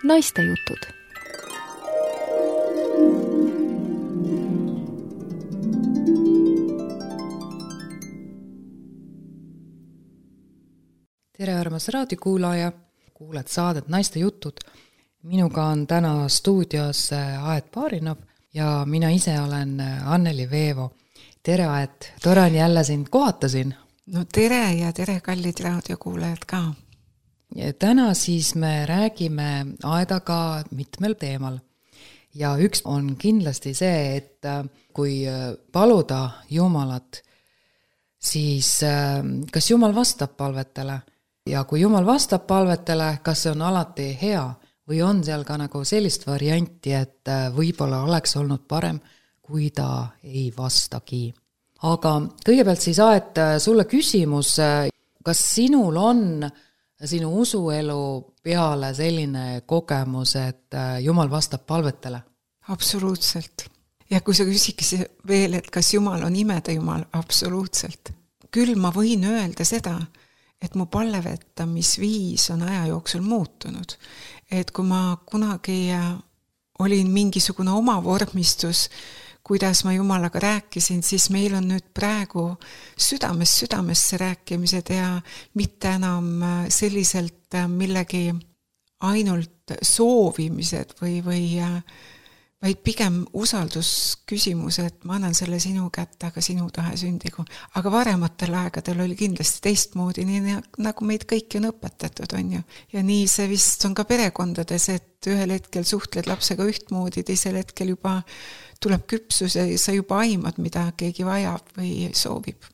Naistejutud. Tere armas raadiokuulaja, kuuled saadet Naistejutud. Minuga on täna stuudios Aet Baarinov ja mina ise olen Anneli Veevo. Tere Aet, tore on jälle sind kohata siin. No tere ja tere kallid raadiokuulajad ka. Ja täna siis me räägime Aedaga mitmel teemal. Ja üks on kindlasti see, et kui paluda Jumalat, siis kas Jumal vastab palvetele? Ja kui Jumal vastab palvetele, kas see on alati hea või on seal ka nagu sellist varianti, et võib-olla oleks olnud parem, kui ta ei vastagi. Aga kõigepealt siis Aet, sulle küsimus, kas sinul on sinu usuelu peale selline kogemus, et Jumal vastab palvetele? Absoluutselt. Ja kui sa küsiks veel, et kas Jumal on imede Jumal, absoluutselt. Küll ma võin öelda seda, et mu palvetamisviis on aja jooksul muutunud. Et kui ma kunagi olin mingisugune oma vormistus, kuidas ma Jumalaga rääkisin, siis meil on nüüd praegu südamesse rääkimised ja mitte enam selliselt millegi ainult soovimised või vaid pigem usaldusküsimus, et ma annan selle sinu kätte, aga sinu tahe sündigu. Aga varematel aegadel oli kindlasti teistmoodi, nii nagu meid kõiki on õpetatud, on ju. Ja nii see vist on ka perekondades, et ühel hetkel suhtled lapsega ühtmoodi, teisel hetkel juba tuleb küpsus ja sa juba aimad, mida keegi vajab või soovib.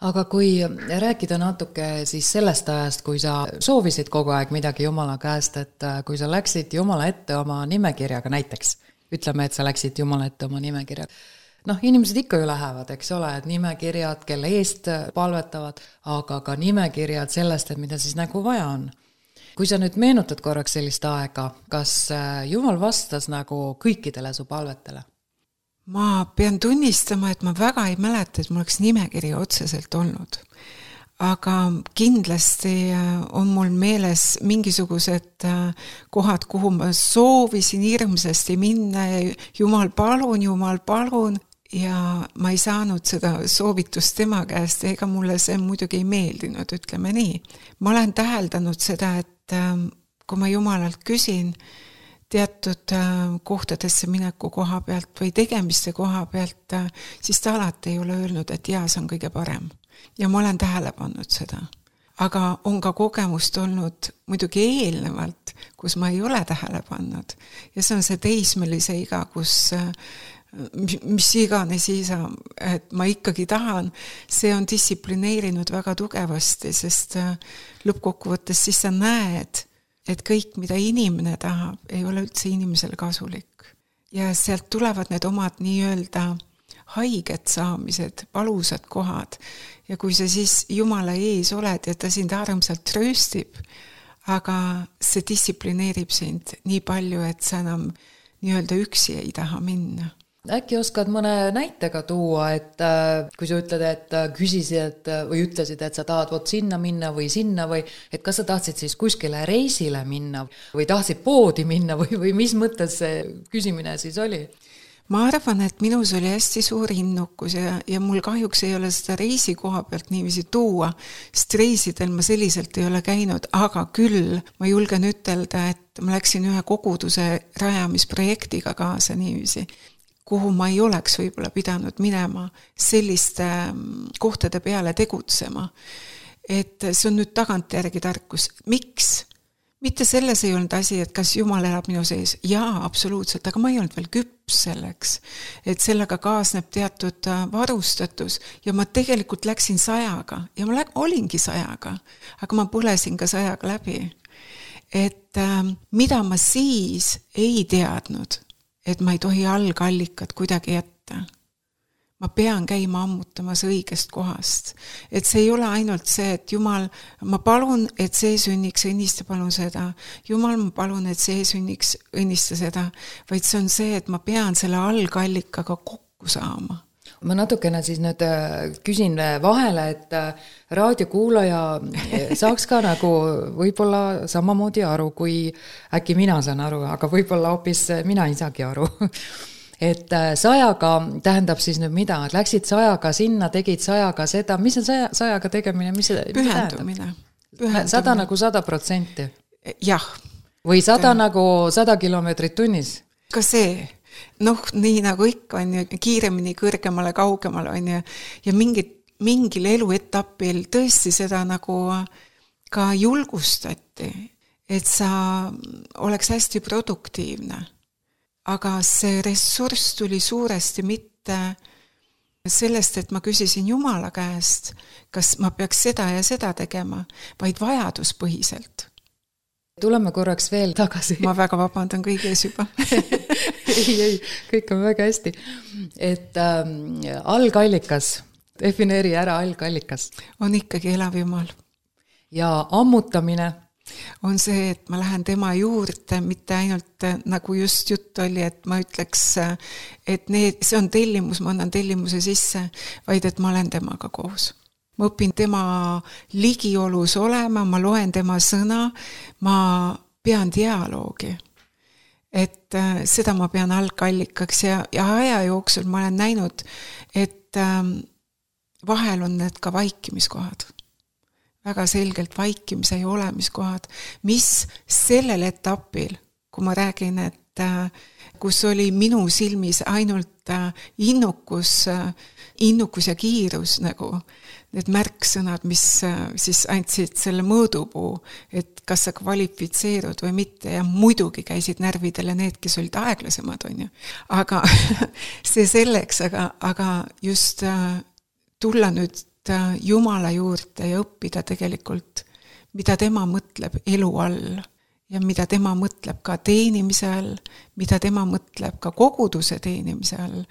Aga kui rääkida natuke siis sellest ajast, kui sa soovisid kogu aeg midagi Jumala käest, et kui sa läksid Jumala ette oma nimekirjaga näiteks, ütleme, et sa läksid Jumala ette oma nimekirjaga. Inimesed ikka ju lähevad, eks ole, et nimekirjad, kelle eest palvetavad, aga ka nimekirjad sellest, et mida siis nagu vaja on. Kui sa nüüd meenutad korraks sellist aega, kas Jumal vastas nagu kõikidele su palvetele? Ma pean tunnistama, et ma väga ei mäleta, et mul oleks nimekiri otseselt olnud. Aga kindlasti on mul meeles mingisugused kohad, kuhu ma soovisin hirmsasti minna ja Jumal palun ja ma ei saanud seda soovitust tema käest, ega mulle see muidugi ei meeldinud, ütleme nii. Ma olen täheldanud seda, et kui ma Jumalalt küsin teatud kohtadesse mineku koha pealt või tegemiste koha pealt, siis ta alati ei ole öelnud, et jaa, see on kõige parem. Ja ma olen tähele pannud seda. Aga on ka kogemust olnud muidugi eelnevalt, kus ma ei ole tähele pannud. Ja see on see teismelise iga, kus mis iganes isa, et ma ikkagi tahan, see on distsiplineerinud väga tugevasti, sest lõppkokkuvõttes siis sa näed, et kõik, mida inimene tahab, ei ole üldse inimesele kasulik. Ja sealt tulevad need omad nii-öelda haiged saamised, valusad kohad. Ja kui sa siis Jumala ees oled ja ta sind armsalt trööstib, aga see distsiplineerib sind nii palju, et sa enam nii-öelda üksi ei taha minna. Äkki oskad mõne näitega tuua, et kui sa ütled, et küsisid või ütlesid, et sa tahad sinna minna või sinna või et kas sa tahtsid siis kuskile reisile minna või tahtsid poodi minna või mis mõttes see küsimine siis oli? Ma arvan, et minus oli hästi suur innukus ja mul kahjuks ei ole seda reisi koha pealt niiviisi tuua, sest reisidel ma selliselt ei ole käinud, aga küll ma julgen ütelda, et ma läksin ühe koguduse rajamisprojektiga kaasa niiviisi, kuhu ma ei oleks võib-olla pidanud minema selliste kohtade peale tegutsema. Et see on nüüd tagantjärgi tarkus. Miks? Mitte selles ei olnud asi, et kas Jumal elab minu sees. Jaa, absoluutselt, aga ma ei olnud veel küps selleks. Et sellega kaasneb teatud varustatus ja ma tegelikult läksin 100-ga ja ma olingi 100-ga, aga ma põlesin ka 100-ga läbi. Et mida ma siis ei teadnud, et ma ei tohi algallikat kuidagi jätta. Ma pean käima ammutamas õigest kohast. Et see ei ole ainult see, et Jumal, ma palun, et see sünniks, õnnista palun seda. Jumal, ma palun, et see sünniks, õnnista seda. Vaid see on see, et ma pean selle algallikaga kokku saama. ma natukene siis nüüd küsin vahele, et raadiokuulaja saaks ka nagu võib-olla samamoodi aru, kui äkki mina saan aru, aga võib-olla hoopis mina ei saagi aru. Et 100-ga tähendab siis nüüd mida? Et läksid 100-ga sinna, tegid 100-ga seda, mis on 100-ga tegemine? Pühendumine. 100 nagu 100%? Jah. Või 100 nagu 100 kilomeetrit tunnis? Ka see. Nii nagu ikka on ju, kiiremini, kõrgemale, kaugemale on ju, ja mingil eluetapil tõesti seda nagu ka julgustati, et sa oleks hästi produktiivne. Aga see ressurss tuli suuresti mitte sellest, et ma küsisin Jumala käest, kas ma peaks seda ja seda tegema, vaid vajaduspõhiselt. Tuleme korraks veel tagasi. Ma väga vabandan kõiges juba. ei, kõik on väga hästi. Et algallikas, defineeri ära algallikas. On ikkagi elav Jumal. Ja ammutamine on see, et ma lähen tema juurde, mitte ainult nagu just jutt oli, et ma ütleks, et see on tellimus, ma annan tellimuse sisse, vaid et ma olen temaga koos. Ma õpin tema ligiolus olema, ma loen tema sõna, ma pean dialoogi. Et seda ma pean algallikaks ja aja jooksul ma olen näinud, et vahel on need ka vaikimiskohad. Väga selgelt vaikimise ja olemiskohad, mis sellel etapil, kui ma räägin, et kus oli minu silmis ainult innukus ja kiirus nagu, need märksõnad, mis siis andsid selle mõõdupuu, et kas sa kvalifitseerud või mitte, ja muidugi käisid närvidele need, kes olid aeglasemad, on ju. Aga see selleks, aga just tulla nüüd Jumala juurde ja õppida tegelikult, mida tema mõtleb elu all ja mida tema mõtleb ka teenimise all, mida tema mõtleb ka koguduse teenimise all.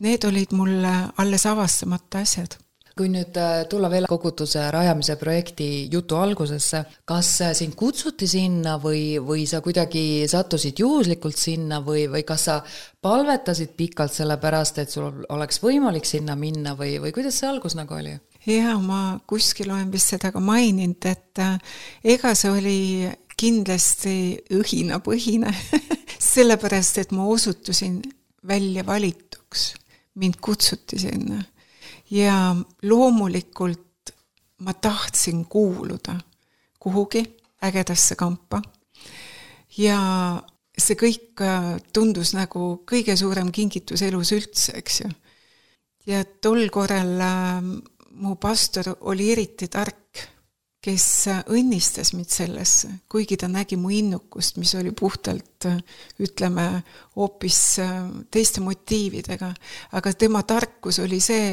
Need olid mulle alles avastamata asjad. Kui nüüd tulla veel koguduse rajamise projekti jutu algusesse, kas sind kutsuti sinna või sa kuidagi sattusid juhuslikult sinna või kas sa palvetasid pikalt selle pärast, et sul oleks võimalik sinna minna või kuidas see algus nagu oli? Ja ma kuskil olen vist seda ka maininud, et ega see oli kindlasti õhinapõhine, sellepärast, et ma osutusin välja valituks, mind kutsuti sinna. Ja loomulikult ma tahtsin kuuluda kuhugi ägedasse kampa. Ja see kõik tundus nagu kõige suurem kingitus elus üldse, eks ju. Ja tol korral mu pastor oli eriti tark, kes õnnistas mind sellesse, kuigi ta nägi mu innukust, mis oli puhtalt, ütleme, hoopis teiste motiividega. Aga tema tarkus oli see,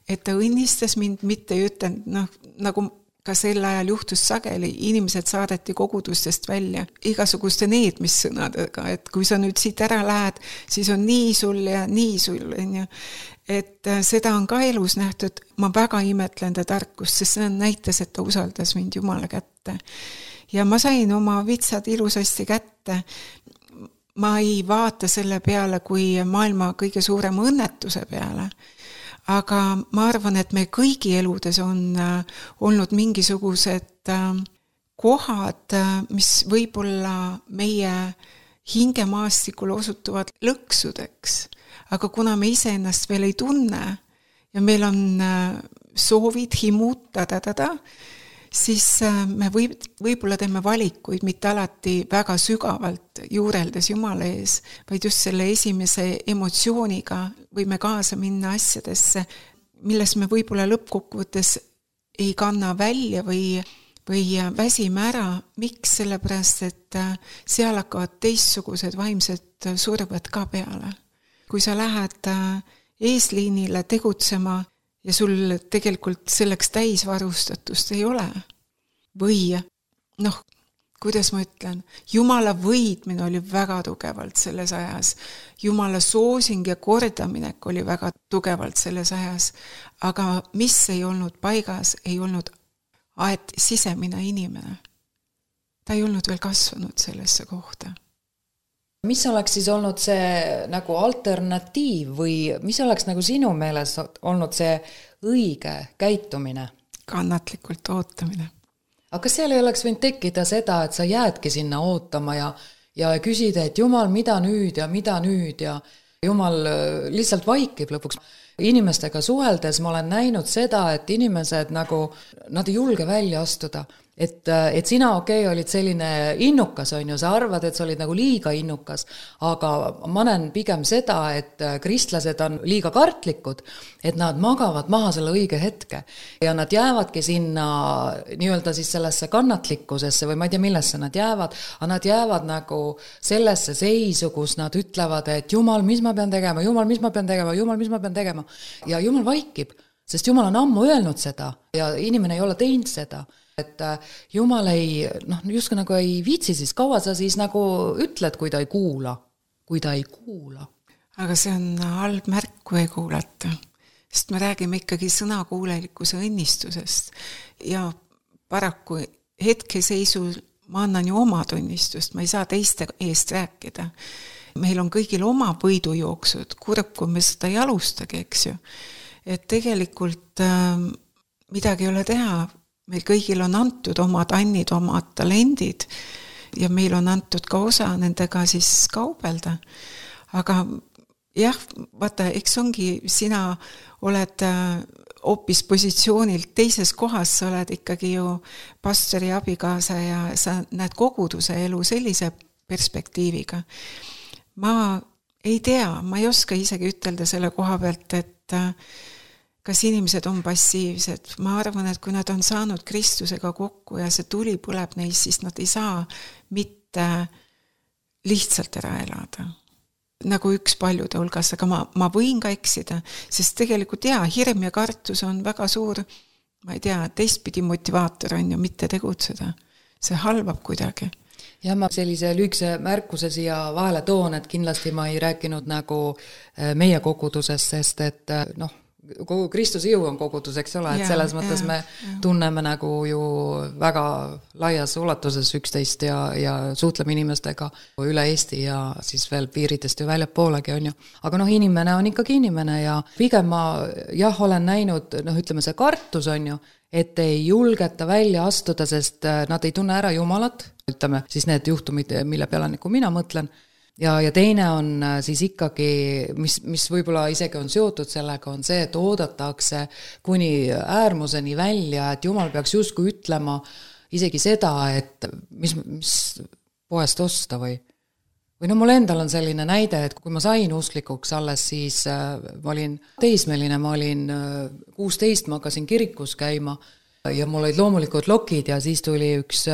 et ta õnnistas mind, mitte ei ütelnud, nagu ka sel ajal juhtus sageli, inimesed saadeti kogudustest välja igasuguste needmissõnadega, et kui sa nüüd siit ära lähed, siis on nii sul ja nii sul. Et seda on ka elus nähtud, ma väga imetlen ta tarkust, sest see näitas, et ta usaldas mind Jumala kätte. Ja ma sain oma vitsad ilusasti kätte. Ma ei vaata selle peale kui maailma kõige suurem õnnetuse peale. Aga ma arvan, et me kõigi eludes on olnud mingisugused kohad, mis võib-olla meie hingemaastikul osutuvad lõksudeks. Aga kuna me ise ennast veel ei tunne ja meil on soovid, himud, siis me võib-olla teeme valikuid mitte alati väga sügavalt juureldes Jumala ees, vaid just selle esimese emotsiooniga võime kaasa minna asjadesse, milles me võib-olla lõppkokkuvõttes ei kanna välja või väsime ära. Miks? Sellepärast, et seal hakkavad teistsugused vaimsed surved ka peale. Kui sa lähed eesliinile tegutsema ja sul tegelikult selleks täisvarustatust ei ole. Või, kuidas ma ütlen, Jumala võidmine oli väga tugevalt selles ajas. Jumala soosing ja kordaminek oli väga tugevalt selles ajas. Aga mis ei olnud paigas, ei olnud aet sisemine inimene. Ta ei olnud veel kasvanud sellesse kohta. mis oleks siis olnud see nagu alternatiiv või mis oleks nagu sinu meeles olnud see õige käitumine? Kannatlikult ootamine. Aga kas seal ei oleks võinud tekkida seda, et sa jäädki sinna ootama ja küsida, et Jumal, mida nüüd ja Jumal lihtsalt vaikib lõpuks. Inimestega suheldes ma olen näinud seda, et inimesed nagu, nad ei julge välja astuda. Et sina olid selline innukas, on ju, sa arvad, et sa olid nagu liiga innukas, aga ma näen pigem seda, et kristlased on liiga kartlikud, et nad magavad maha selle õige hetke ja nad jäävadki sinna nii-öelda siis sellesse kannatlikkusesse või ma ei tea, millesse nad jäävad, aga nad jäävad nagu sellesse seisu, kus nad ütlevad, et Jumal, mis ma pean tegema, Jumal, mis ma pean tegema, Jumal, mis ma pean tegema ja Jumal vaikib, sest Jumal on ammu öelnud seda ja inimene ei ole teinud seda. Et Jumal justkui nagu ei viitsi, siis kaua sa siis nagu ütled, kui ta ei kuula. Aga see on halb märk, kui ei kuulata, sest me räägime ikkagi sõnakuulelikkuse õnnistusest ja paraku hetkeseisul ma annan ju oma tunnistust, ma ei saa teiste eest rääkida. Meil on kõigil oma võidujooksud, kurb, kui me seda ei alustagi, eks ju. Et tegelikult midagi ei ole teha, meil kõigil on antud omad annid, omad talendid ja meil on antud ka osa nendega siis kaubelda. Aga jah, vaata, eks ongi, sina oled hoopis positsioonilt teises kohas, sa oled ikkagi ju pastori abikaasa ja sa näed koguduse elu sellise perspektiiviga. Ma ei tea, ma ei oska isegi ütelda selle koha pealt, et kas inimesed on passiivsed. Ma arvan, et kui nad on saanud Kristusega kokku ja see tuli põleb neis, siis nad ei saa mitte lihtsalt ära elada. Nagu üks paljude hulgas, aga ma võin ka eksida, sest tegelikult hirm ja kartus on väga suur, ma ei tea, teistpidi motivaator on ju mitte tegutseda. See halvab kuidagi. Ja ma sellise lühikese märkuse siia vahele toon, et kindlasti ma ei rääkinud nagu meie kogudusest, sest et kogu Kristuse jõu on kogudus, eks ole, et selles mõttes me tunneme nagu ju väga laias ulatuses üksteist ja suhtleme inimestega üle Eesti ja siis veel piiridest ju väljapoolegi on ju. Aga inimene on ikkagi inimene ja pigem ma olen näinud, ütleme see kartus on ju, et ei julgeta välja astuda, sest nad ei tunne ära Jumalat, ütleme siis need juhtumid, mille peale nagu mina mõtlen. Ja teine on siis ikkagi, mis võib-olla isegi on seotud sellega, on see, et oodatakse kuni äärmuseni välja, et Jumal peaks justkui ütlema isegi seda, et mis poest osta või mul endal on selline näide, et kui ma sain usklikuks alles, siis ma olin teismeline, ma olin 16, ma hakkasin kirikus käima ja mul olid loomulikult lokid ja siis tuli üks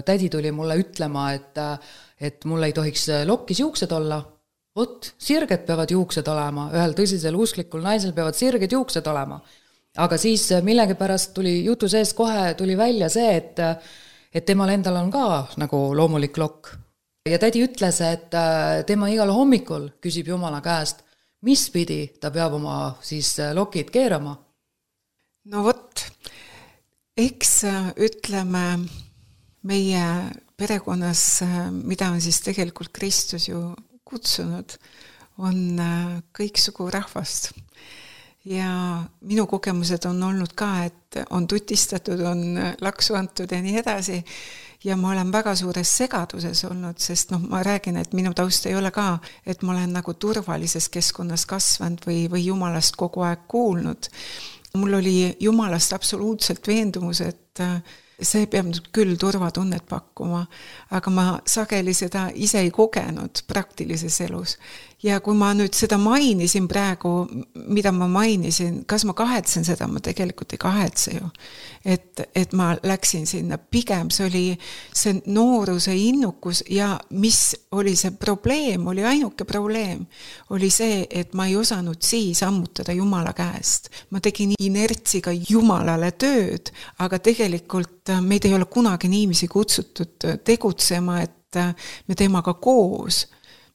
tädi tuli mulle ütlema, et mul ei tohiks lokkis juuksed olla. Sirged peavad juuksed olema, ühel tõsisel usklikul naisel peavad sirged juuksed olema. Aga siis millegipärast tuli jutu sees kohe tuli välja see, et temal endal on ka nagu loomulik lokk. Ja tädi ütles, et tema igal hommikul küsib Jumala käest, mis pidi ta peab oma siis lokid keerama. No eks ütleme meie perekonnas, mida on siis tegelikult Kristus ju kutsunud, on kõiksugu rahvast. Ja minu kogemused on olnud ka, et on tutistatud, on laksu antud ja nii edasi. Ja ma olen väga suures segaduses olnud, sest ma räägin, et minu taust ei ole ka, et ma olen nagu turvalises keskkonnas kasvanud või Jumalast kogu aeg kuulnud. Mul oli Jumalast absoluutselt veendumus, et see peab küll turvatunnet pakkuma, aga ma sageli seda ise ei kogenud praktilises elus. Ja kui ma nüüd seda mainisin praegu, mida ma mainisin, kas ma kahetsen seda, ma tegelikult ei kahetse ju. Et ma läksin sinna, pigem see oli see nooruse innukus ja mis oli see probleem, oli ainuke probleem, oli see, et ma ei osanud siis ammutada Jumala käest. Ma tegin inertsiga Jumalale tööd, aga tegelikult meid ei ole kunagi niiviisi kutsutud tegutsema, et me temaga koos.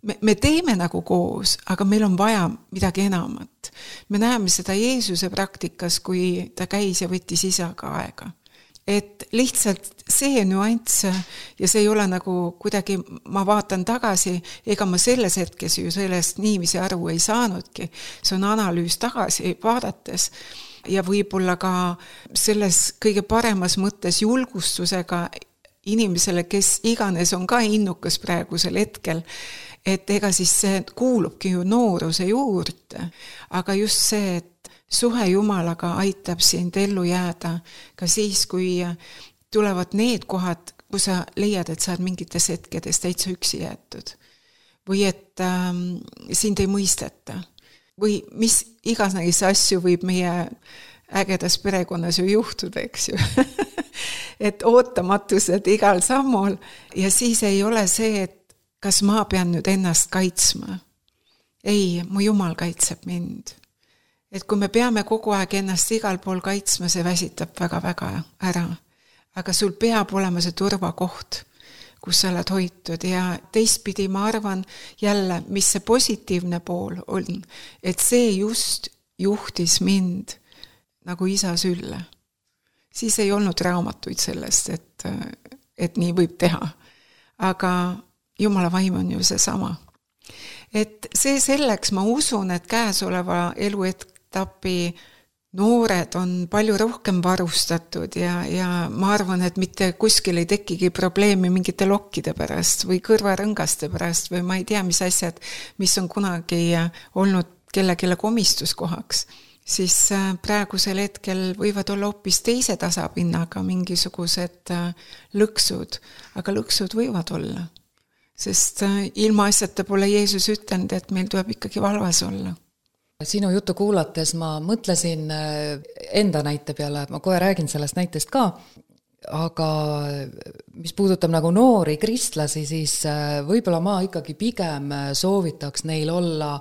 Me teeme nagu koos, aga meil on vaja midagi enamat. Me näeme seda Jeesuse praktikas, kui ta käis ja võttis isaga aega. et lihtsalt see nüanss ja see ei ole nagu kuidagi, ma vaatan tagasi, ega ma selles hetkes ju sellest niiviisi aru ei saanudki. See on analüüs tagasi vaadates ja võib-olla ka selles kõige paremas mõttes julgustusega inimesele, kes iganes on ka innukas praegusel hetkel, et ega siis see kuulubki ju nooruse juurde, aga just see, et suhe Jumalaga aitab sind ellu jääda ka siis, kui tulevad need kohad, kus sa leiad, et sa oled mingites hetkedes täitsa üksi jäetud. Või et sind ei mõisteta. Või mis iganes asju võib meie ägedas perekonnas ju juhtuda, eks ju. Et ootamatused igal sammul ja siis ei ole see, et kas ma pean nüüd ennast kaitsma. Ei, mu Jumal kaitseb mind. Et kui me peame kogu aeg ennast igal pool kaitsma, see väsitab väga-väga ära. Aga sul peab olema see turvakoht, kus sa oled hoitud ja teistpidi ma arvan jälle, mis see positiivne pool on, et see just juhtis mind nagu isa sülle. Siis ei olnud raamatuid sellest, et nii võib teha. Aga Jumala vaim on ju see sama. Et see selleks ma usun, et käesoleva eluetapi noored on palju rohkem varustatud ja ma arvan, et mitte kuskil ei tekigi probleemi mingite lokkide pärast või kõrvarõngaste pärast või ma ei tea, mis asjad, mis on kunagi olnud kelle komistuskohaks, siis praegusel hetkel võivad olla hoopis teise tasapinnaga mingisugused lõksud, aga lõksud võivad olla. Sest ilma asjata pole Jeesus ütelnud, et meil tuleb ikkagi valvas olla. Sinu juttu kuulates ma mõtlesin enda näite peale, ma kohe räägin sellest näitest ka, aga mis puudutab nagu noori kristlasi, siis võib-olla ma ikkagi pigem soovitaks neil olla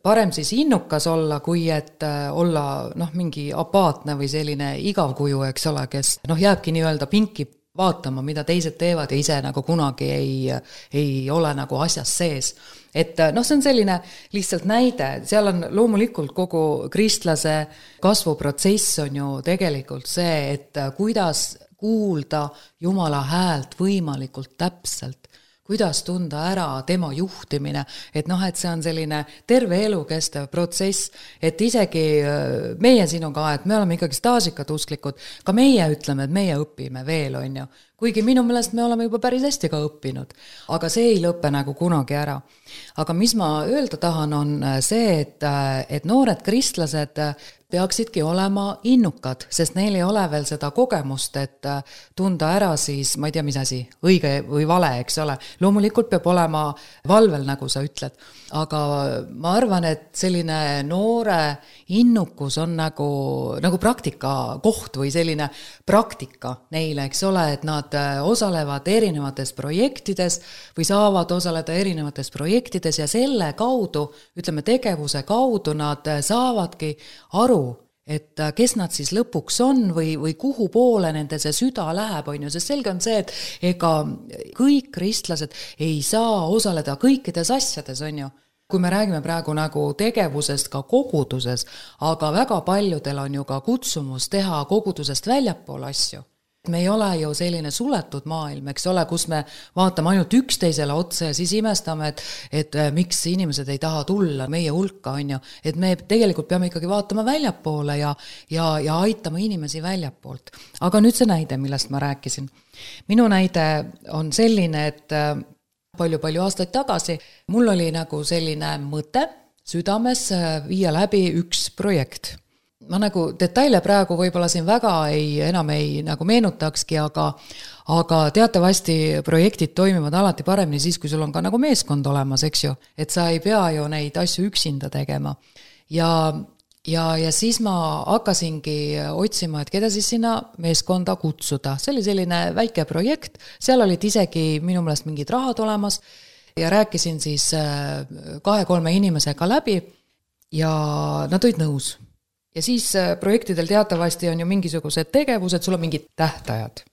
parem siis innukas olla, kui et olla mingi apaatne või selline igavkuju, eks ole, kes jääbki nii-öelda pinki vaatama, mida teised teevad ja ise nagu kunagi ei ole nagu asjas sees. Et see on selline lihtsalt näide, seal on loomulikult kogu kristlase kasvuprotsess on ju tegelikult see, et kuidas kuulda Jumala häält võimalikult täpselt, kuidas tunda ära tema juhtimine, et see on selline terve elu kestev protsess, et isegi meie sinuga, et me oleme ikkagi staažikad usklikud, ka meie ütleme, et meie õpime veel, on ju. Kuigi minu meelest me oleme juba päris hästi ka õppinud, aga see ei lõpe nagu kunagi ära. Aga mis ma öelda tahan on see, et noored kristlased peaksidki olema innukad, sest neil ei ole veel seda kogemust, et tunda ära siis, ma ei tea, mis asi, õige või vale, eks ole. Loomulikult peab olema valvel, nagu sa ütled, aga ma arvan, et selline noore innukus on nagu praktika koht või selline praktika neile, eks ole, et nad osalevad erinevates projektides või saavad osaleda erinevates projektides ja selle kaudu, ütleme tegevuse kaudu nad saavadki aru, et kes nad siis lõpuks on või kuhu poole nende see süda läheb, on ju, sest selge on see, et ega kõik kristlased ei saa osaleda kõikides asjades, on ju. Kui me räägime praegu nagu tegevusest ka koguduses, aga väga paljudel on ju ka kutsumus teha kogudusest väljapool asju. Me ei ole ju selline suletud maailm, eks ole, kus me vaatame ainult üksteisele otsa ja siis imestame, et miks inimesed ei taha tulla meie hulka, on ju. Et me tegelikult peame ikkagi vaatama väljapoole ja aitama inimesi väljapoolt. Aga nüüd see näide, millest ma rääkisin. Minu näide on selline, et palju aastaid tagasi mul oli nagu selline mõte südames viia läbi üks projekt. Ma nagu detaile praegu võib-olla siin väga enam ei nagu meenutakski, aga teatavasti projektid toimivad alati paremini siis, kui sul on ka nagu meeskond olemas, eks ju, et sa ei pea ju neid asju üksinda tegema. Ja siis ma hakkasingi otsima, et keda siis sinna meeskonda kutsuda. See oli selline väike projekt, seal olid isegi minu meelest mingid rahad olemas ja rääkisin siis 2-3 inimesega läbi ja nad olid nõus. Ja siis projektidel teatavasti on ju mingisugused tegevused, sul on mingid tähtajad.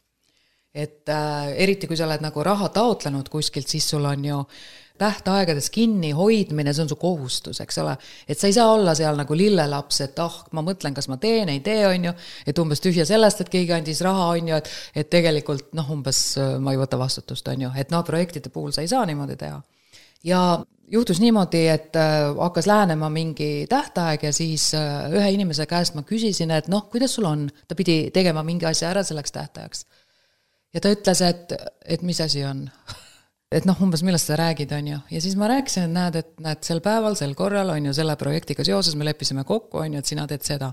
Et eriti kui sa oled nagu raha taotlenud kuskilt, siis sul on ju tähtaegades kinni hoidmine, see on su kohustus, eks ole, et sa ei saa olla seal nagu lillelaps, et ma mõtlen, kas ma teen, ei tee, on ju, et umbes tühja sellest, et keegi andis raha, on ju, et tegelikult umbes ma ei võta vastutust, on ju, et projektide puhul sa ei saa niimoodi teha. Ja juhtus niimoodi, et hakkas lähenema mingi tähtaeg ja siis ühe inimese käest ma küsisin, et kuidas sul on, ta pidi tegema mingi asja ära selleks tähtajaks. Ja ta ütles, et mis asi on et umbes millest sa räägid, on ju. Ja siis ma rääkisin, et näed sel päeval, sel korral, on ju, selle projektiga seoses me leppisime kokku, on ju, et sina teed seda.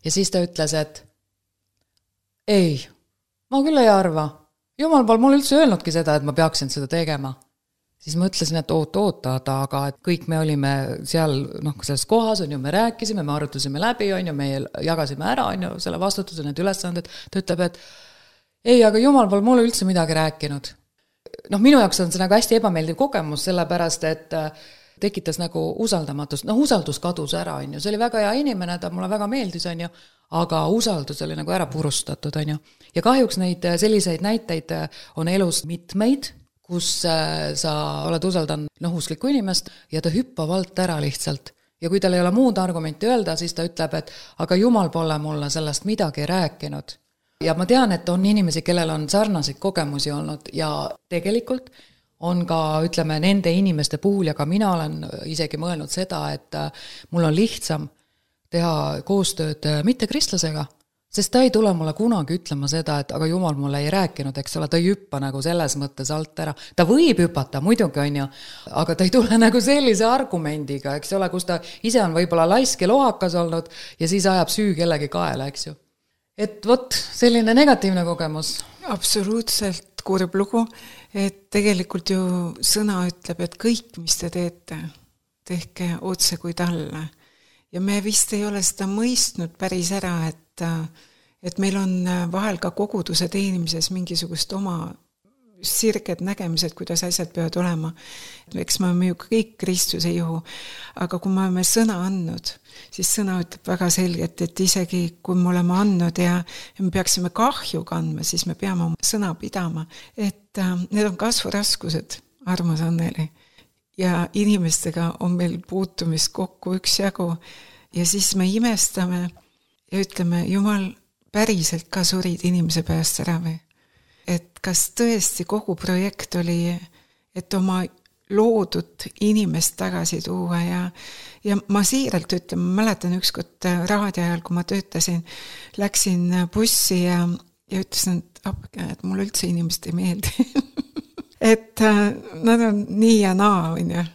Ja siis ta ütles, et ei, ma küll ei arva. Jumal pole mulle üldse öelnudki seda, et ma peaksin seda tegema. Siis ma ütlesin, et oota, aga et kõik me olime seal, selles kohas, on ju, me rääkisime, me arutusime läbi, on ju, me jagasime ära, on ju, selle vastutuse, need ülesanded. Ta ütleb, et ei, aga Jumal pole mulle üldse midagi rääkinud. Minu jaoks on see nagu hästi ebameeldiv kogemus, sellepärast, et tekitas nagu usaldamatust. Usaldus kadus ära, on ju. See oli väga hea inimene, ta mulle väga meeldis, on ju, aga usaldus oli nagu ära purustatud, on ju. Ja kahjuks neid selliseid näiteid on elus mitmeid, kus sa oled usaldanud usklikku inimest ja ta hüppab alt ära lihtsalt. Ja kui tal ei ole muud argumenti öelda, siis ta ütleb, et aga Jumal pole mulle sellest midagi rääkinud. Ja ma tean, et on inimesi, kellel on sarnaseid kogemusi olnud ja tegelikult on ka, ütleme, nende inimeste puhul ja ka mina olen isegi mõelnud seda, et mul on lihtsam teha koostööd mittekristlasega, sest ta ei tule mulle kunagi ütlema seda, et aga Jumal mulle ei rääkinud, eks ole, ta ei hüppa nagu selles mõttes alt ära. Ta võib hüpata, muidugi on ju, aga ta ei tule nagu sellise argumendiga, eks ole, kus ta ise on võib-olla laisk ja lohakas olnud ja siis ajab süü kellegi kaela, eks ju. Et vot, selline negatiivne kogemus. Absoluutselt kurb lugu, et tegelikult ju sõna ütleb, et kõik, mis te teete, tehke otse kui talle. Ja me vist ei ole seda mõistnud päris ära, et meil on vahel ka koguduse teenimises mingisugust oma sirged nägemised, kuidas asjad peavad olema. Eks me oleme ju kõik Kristuse juhu, aga kui me oleme sõna andnud, siis sõna ütleb väga selgelt, et isegi kui me oleme andnud ja me peaksime kahju kandma, siis me peame oma sõna pidama. Et need on kasvuraskused, armas Anneli. Ja inimestega on meil puutumist kokku üksjagu ja siis me imestame ja ütleme, Jumal päriselt ka surid inimese pääst ära või? Et kas tõesti kogu projekt oli, et oma loodud inimest tagasi tuua ja ma siiralt ütlen, ma mäletan ükskord raadio ajal, kui ma töötasin, läksin bussi ja ütlesin, et mulle üldse inimest ei meeldi. Et nad on nii ja naa, on ju.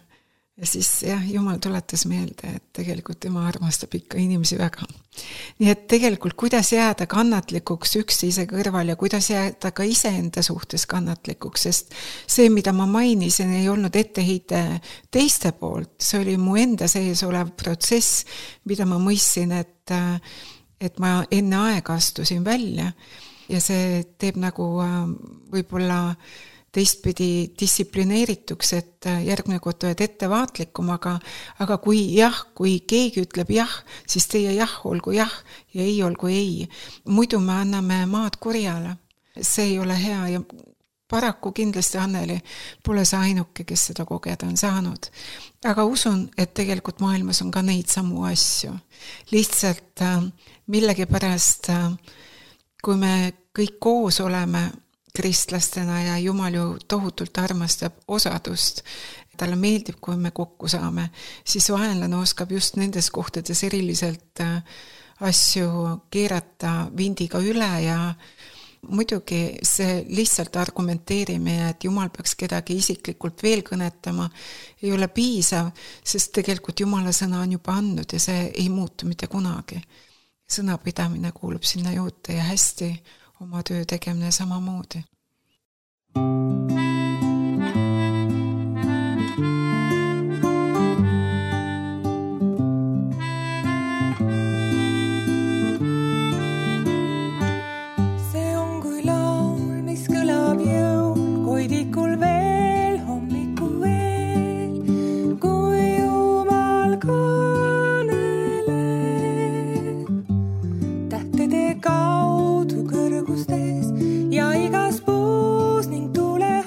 Ja siis Jumal tuletas meelde, et tegelikult tema armastab ikka inimesi väga. Nii et tegelikult kuidas jääda kannatlikuks üksteise kõrval ja kuidas jääda ka iseenda suhtes kannatlikuks, sest see, mida ma mainisin, ei olnud etteheite teiste poolt, see oli mu enda sees olev protsess, mida ma mõistsin, et ma enne aega astusin välja ja see teeb nagu võib-olla teistpidi distsiplineerituks, et järgmine kord oled ettevaatlikum, aga kui keegi ütleb jah, siis teie jah olgu jah ja ei olgu ei. Muidu me anname maad kurjale. See ei ole hea ja paraku kindlasti Anneli pole see ainuke, kes seda kogeda on saanud. Aga usun, et tegelikult maailmas on ka neid samu asju. Lihtsalt millegipärast, kui me kõik koos oleme kristlastena ja Jumal ju tohutult armastab osadust, talle meeldib, kui me kokku saame, siis vaenlane oskab just nendes kohtades eriliselt asju keerata vindiga üle ja muidugi see lihtsalt argumenteerime, et Jumal peaks kedagi isiklikult veel kõnetama, ei ole piisav, sest tegelikult Jumala sõna on juba andnud ja see ei muutu mitte kunagi. Sõnapidamine kuulub sinna juurde ja hästi oma töö tegemine samamoodi. See on kui laul, mis kõlab jõul, koidikul veel, hommikul veel, kui Jumal kõneleb tähtede kaudu kõrgustes ja igas puus ning tule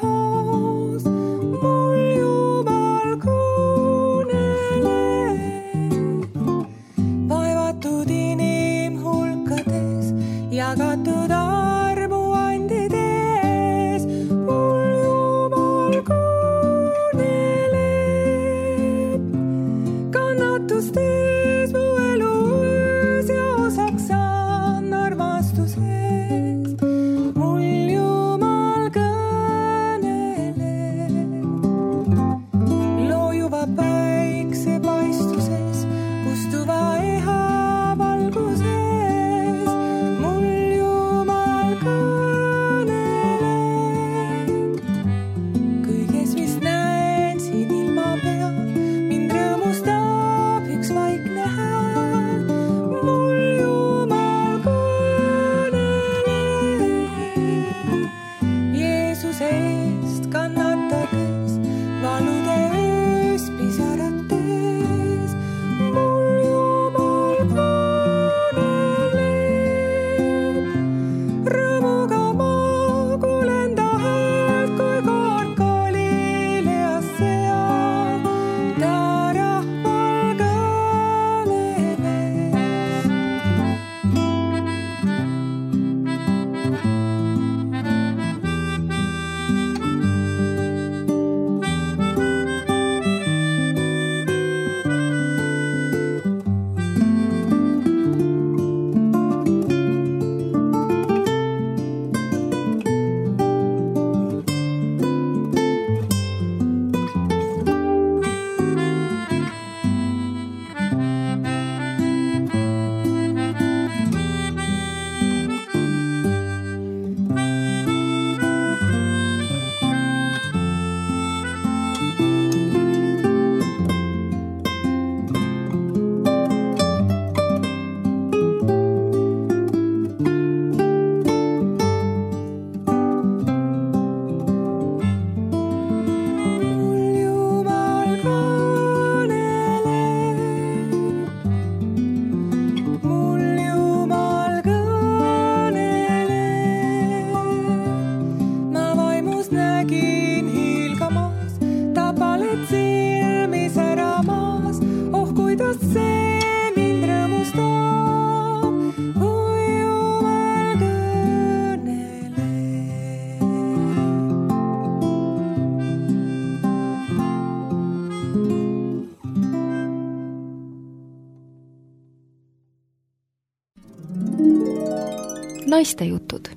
naistejutud.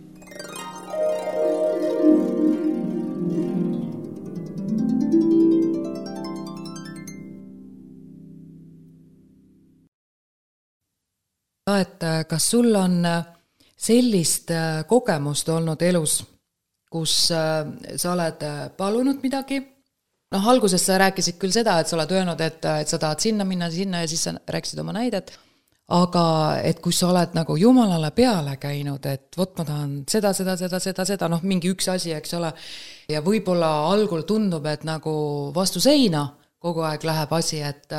Et kas sul on sellist kogemust olnud elus, kus sa oled palunud midagi? Noh, alguses sa rääkisid küll seda, et sa oled öelnud, et sa tahad sinna minna ja siis sa rääkisid oma näidet, aga et kui sa oled nagu Jumalale peale käinud, et vot ma tahan seda, noh mingi üks asi, eks ole, ja võib-olla algul tundub, et nagu vastu seina kogu aeg läheb asi, et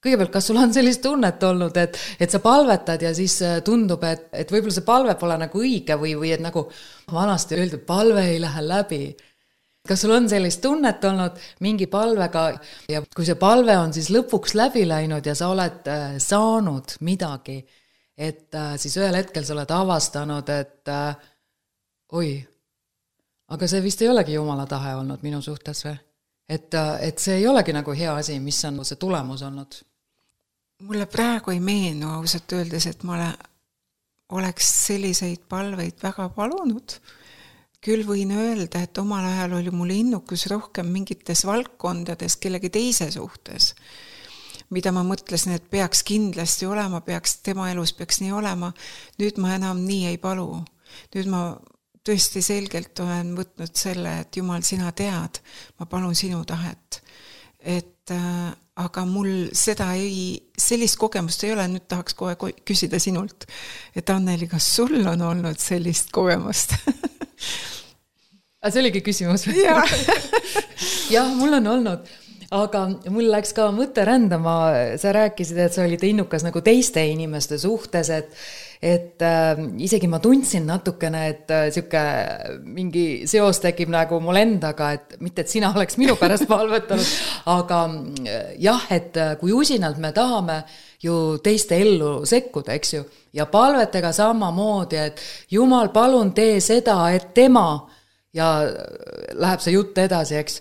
kõigepealt, kas sul on sellist tunnet olnud, et sa palvetad ja siis tundub, et võib-olla see palve pole nagu õige või et nagu vanasti öeldi, palve ei lähe läbi. Kas sul on sellist tunnet olnud mingi palvega ja kui see palve on siis lõpuks läbi läinud ja sa oled saanud midagi, et siis ühel hetkel sa oled avastanud, et oi, aga see vist ei olegi Jumala tahe olnud minu suhtes või? Et see ei olegi nagu hea asi, mis on see tulemus olnud? Mulle praegu ei meenu ausalt öeldes, et ma oleks selliseid palveid väga palunud. Küll võin öelda, et omal ajal oli mul innukus rohkem mingites valdkondades kellegi teise suhtes, mida ma mõtlesin, et peaks kindlasti olema, tema elus peaks nii olema. Nüüd ma enam nii ei palu. Nüüd ma tõesti selgelt olen võtnud selle, et Jumal, sina tead, ma palun sinu tahet. Aga mul sellist kogemust ei ole, nüüd tahaks kohe küsida sinult, et Anneli, kas sul on olnud sellist kogemust? See oligi küsimus. Jah, mul on olnud, aga mul läks ka mõte rändama, sa rääkisid, et sa olid innukas nagu teiste inimeste suhtes, et isegi ma tundsin natukene, et siuke mingi seos tekib nagu mul endaga, et mitte, et sina oleks minu pärast palvetanud, aga jah, et kui usinalt me tahame ju teiste ellu sekkuda, eks ju, ja palvetega samamoodi, et Jumal, palun tee seda, et tema, ja läheb see jutt edasi, eks.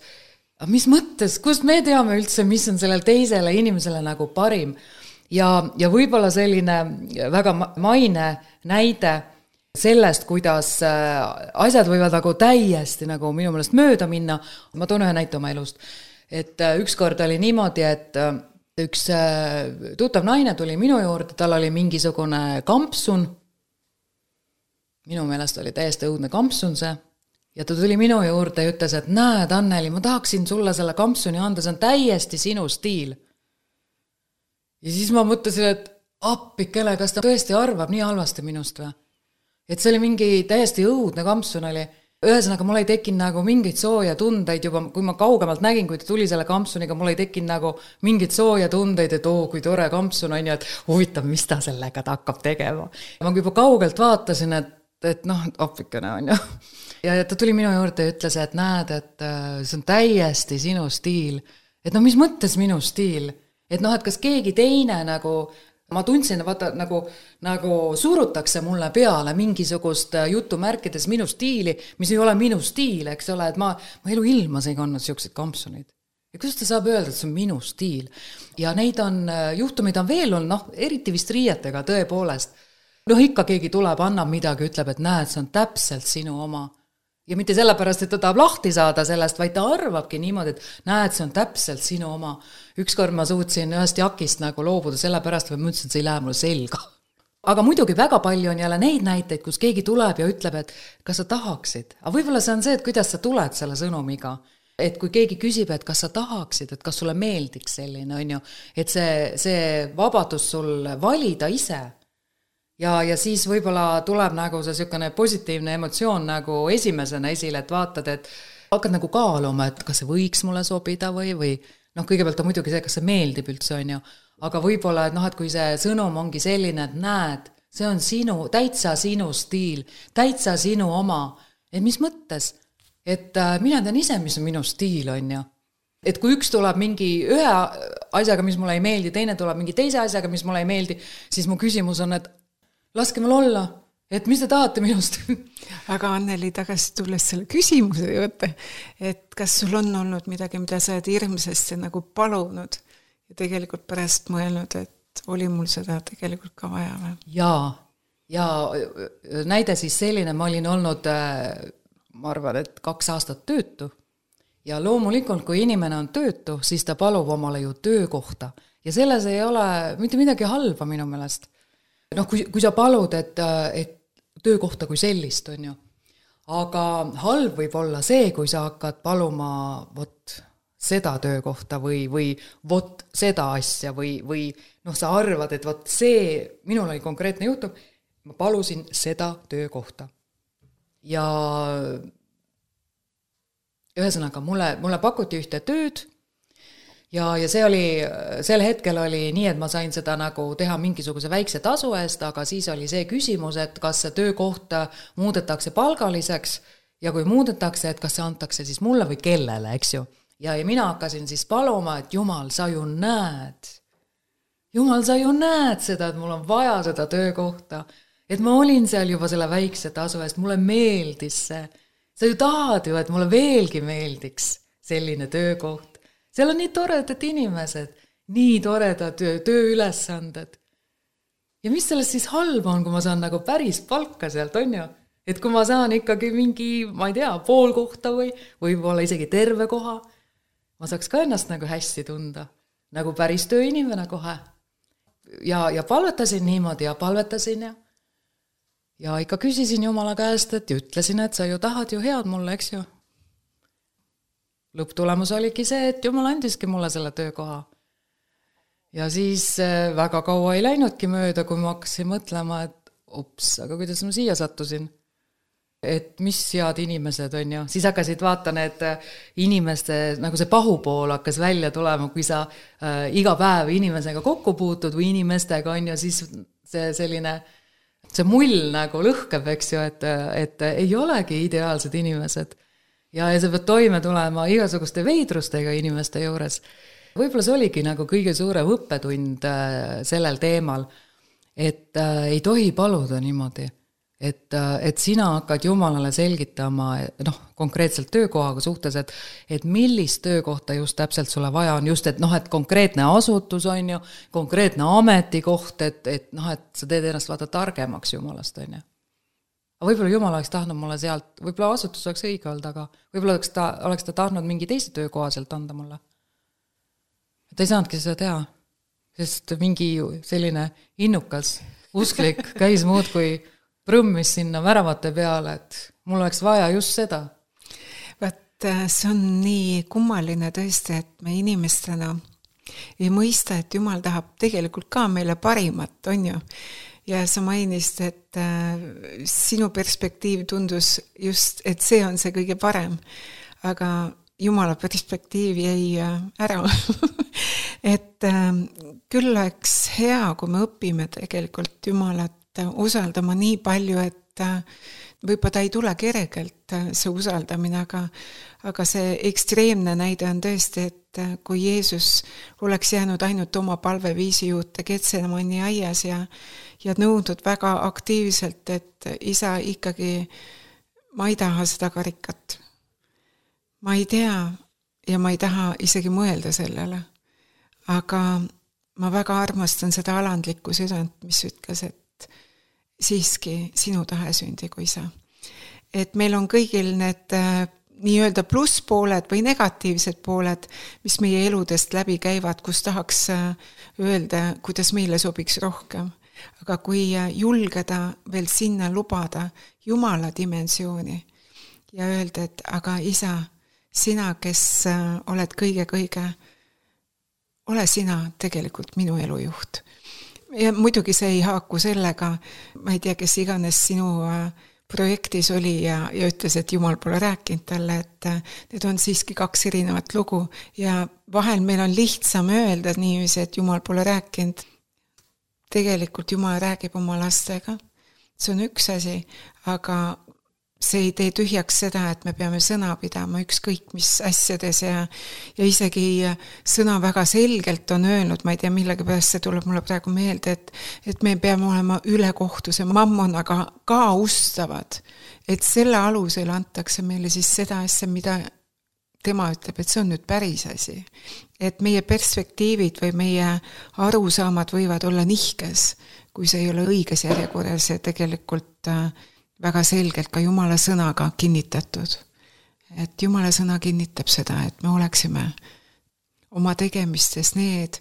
Aga mis mõttes, kust me teame üldse, mis on sellel teisele inimesele nagu parim? Ja võib-olla selline väga maine näide sellest, kuidas asjad võivad nagu täiesti nagu minu meelest mööda minna. Ma toon ühe näite oma elust. Et ükskord oli niimoodi, et üks tuttav naine tuli minu juurde, tal oli mingisugune kampsun. Minu meelest oli täiesti õudne kampsun see. Ja ta tuli minu juurde ja ütles, et näed, Anneli, ma tahaksin sulle selle kampsuni anda, see on täiesti sinu stiil. Ja siis ma mõtlesin, et appikele, kas ta tõesti arvab nii halvasti minust või? Et see oli mingi täiesti õudne kampsun oli. Ühesõnaga, mul ei tekkinud nagu mingit sooja tundeid juba, kui ma kaugemalt nägin, kui ta tuli selle kampsuniga, mul ei tekkinud nagu mingit sooja tundeid, et kui tore kampsun on ja et huvitav, mis ta sellega ta hakkab tegema. Ja ma juba kaugelt vaatasin, et noh, appikene on ju. Ja ta tuli minu juurde ja ütles, et näed, et see on täiesti sinu stiil. Et no mis mõttes minu stiil? Et noh, et kas keegi teine nagu, ma tundsin, vaata, nagu surutakse mulle peale mingisugust jutumärkides minu stiili, mis ei ole minu stiil, eks ole, et ma elu ilmas ei kandnud siukseid kampsuneid. Ja kuidas ta saab öelda, et see on minu stiil? Ja neid on, juhtumid on veel olnud, noh, eriti vist riietega tõepoolest. Noh, ikka keegi tuleb, annab midagi, ütleb, et näed, see on täpselt sinu oma. Ja mitte sellepärast, et ta tahab lahti saada sellest, vaid ta arvabki niimoodi, et näed, see on täpselt sinu oma. Ükskord ma suutsin ühest jakist nagu loobuda sellepärast, või ma ütlesin, et see ei lähe mulle selga. Aga muidugi väga palju on jälle neid näiteid, kus keegi tuleb ja ütleb, et kas sa tahaksid. Aga võib-olla see on see, et kuidas sa tuled selle sõnumiga. Et kui keegi küsib, et kas sa tahaksid, et kas sulle meeldiks selline, on ju, et see vabadus sul valida ise. Ja siis võib-olla tuleb nagu see selline positiivne emotsioon nagu esimesena esile, et vaatad, et hakkad nagu kaaluma, et kas see võiks mulle sobida või noh, kõigepealt on muidugi see, kas see meeldib üldse, on ju, aga võib-olla, et noh, et kui see sõnum ongi selline, et näed, see on täitsa sinu stiil, täitsa sinu oma, et mis mõttes, et mina tean ise, mis on minu stiil, on ju. Et kui üks tuleb mingi ühe asjaga, mis mulle ei meeldi, teine tuleb mingi teise asjaga, mis mulle ei meeldi, siis mu küsimus on, et laske mul olla, et mis te tahate minust? Aga Anneli, tagasi tulles selle küsimuse juurde, et kas sul on olnud midagi, mida sa oled hirmsasti nagu palunud ja tegelikult pärast mõelnud, et oli mul seda tegelikult ka vaja või? ja näide siis selline, ma olin olnud, ma arvan, et 2 aastat töötu ja loomulikult, kui inimene on töötu, siis ta palub omale ju töökohta ja selles ei ole mitte midagi halba minu meelest. Noh, kui sa palud, et töökohta kui sellist on ju, aga halb võib olla see, kui sa hakkad paluma vot seda töökohta või vot seda asja või noh, sa arvad, et vot see, minul oli konkreetne juhtum, ma palusin seda töökohta. Ja ühesõnaga, mulle pakuti ühte tööd ja see oli, sel hetkel oli nii, et ma sain seda nagu teha mingisuguse väikse tasu eest, aga siis oli see küsimus, et kas see töökoht muudetakse palgaliseks ja kui muudetakse, et kas see antakse siis mulle või kellele, eks ju. Ja mina hakkasin siis paluma, et Jumal, sa ju näed seda, et mul on vaja seda töökohta, et ma olin seal juba selle väikse tasu eest, mulle meeldis see. Sa ju tahad ju, et mulle veelgi meeldiks selline töökoht. Seal on nii toredad inimesed, nii toredad tööülesanded. Ja mis sellest siis halba on, kui ma saan nagu päris palka sealt, on ju? Et kui ma saan ikkagi mingi, ma ei tea, pool kohta või võib-olla isegi terve koha, ma saaks ka ennast nagu hästi tunda, nagu päris tööinimene kohe. Ja palvetasin niimoodi ja palvetasin ja ikka küsisin Jumala käest, et ütlesin, et sa ju tahad ju head mulle, eks ju. Lõpptulemus oligi see, et Jumal andiski mulle selle töökoha. Ja siis väga kaua ei läinudki mööda, kui ma hakkasin mõtlema, et aga kuidas ma siia sattusin? Et mis head inimesed on ju. Siis hakkasid vaata need inimeste, nagu see pahupool hakkas välja tulema, kui sa iga päev inimesega kokku puutud või inimestega on ju, siis see mull nagu lõhkeb, eks ju, et ei olegi ideaalsed inimesed. Ja sa pead toime tulema igasuguste veidrustega inimeste juures. Võib-olla see oligi nagu kõige suurem õppetund sellel teemal, et ei tohi paluda niimoodi, et sina hakkad Jumalale selgitama konkreetselt töökohaga suhtes, et millist töökohta just täpselt sulle vaja on, just et konkreetne asutus on ju, konkreetne ametikoht, et sa teed ennast vaata targemaks Jumalast on ju. Võib-olla Jumal oleks tahtnud mulle sealt, võib-olla asutus oleks õige olnud, aga võib-olla oleks ta tahtnud mingi teise töökoha sealt anda mulle. Ta ei saanudki seda teha, sest mingi selline innukas, usklik käis muud kui prõmmis sinna väravate peale, et mul oleks vaja just seda. Vaat see on nii kummaline tõesti, et me inimestena ei mõista, et Jumal tahab tegelikult ka meile parimat, on ju. Ja sa mainisid, et sinu perspektiiv tundus just, et see on see kõige parem, aga Jumala perspektiiv jäi ära. Et küll oleks hea, kui me õpime tegelikult Jumalat usaldama nii palju, et võib-olla ta ei tule kergelt see usaldamine, aga see ekstreemne näide on tõesti, et kui Jeesus oleks jäänud ainult oma palveviisi juurde Getsemani aias ja nõudnud väga aktiivselt, et isa ikkagi, ma ei taha seda karikat. Ma ei tea ja ma ei taha isegi mõelda sellele. Aga ma väga armastan seda alandlikku südant, mis ütles, et siiski sinu tahe sündigu isa. Et meil on kõigil need nii-öelda plusspooled või negatiivsed pooled, mis meie eludest läbi käivad, kus tahaks öelda, kuidas meile sobiks rohkem. Aga kui julgeda veel sinna lubada Jumala dimensiooni ja öelda, et aga isa, sina, kes oled kõige, ole sina tegelikult minu elujuht. Ja muidugi see ei haaku sellega, ma ei tea, kes iganes sinu projektis oli ja ütles, et Jumal pole rääkinud talle, et need on siiski 2 erinevat lugu ja vahel meil on lihtsam öelda niiviisi, et Jumal pole rääkinud. Tegelikult Jumal räägib oma lastega. See on üks asi, aga see ei tee tühjaks seda, et me peame sõna pidama ükskõik mis asjades ja isegi sõna väga selgelt on öelnud, ma ei tea millega pärast see tuleb mulle praegu meelde, et me peame olema ülekohtuse mammonaga ka ustavad, et selle alusel antakse meile siis seda asja, mida tema ütleb, et see on nüüd päris asi. Et meie perspektiivid või meie arusaamad võivad olla nihkes, kui see ei ole õiges järjekorras ja tegelikult väga selgelt ka Jumala sõnaga kinnitatud. Et Jumala sõna kinnitab seda, et me oleksime oma tegemistes need,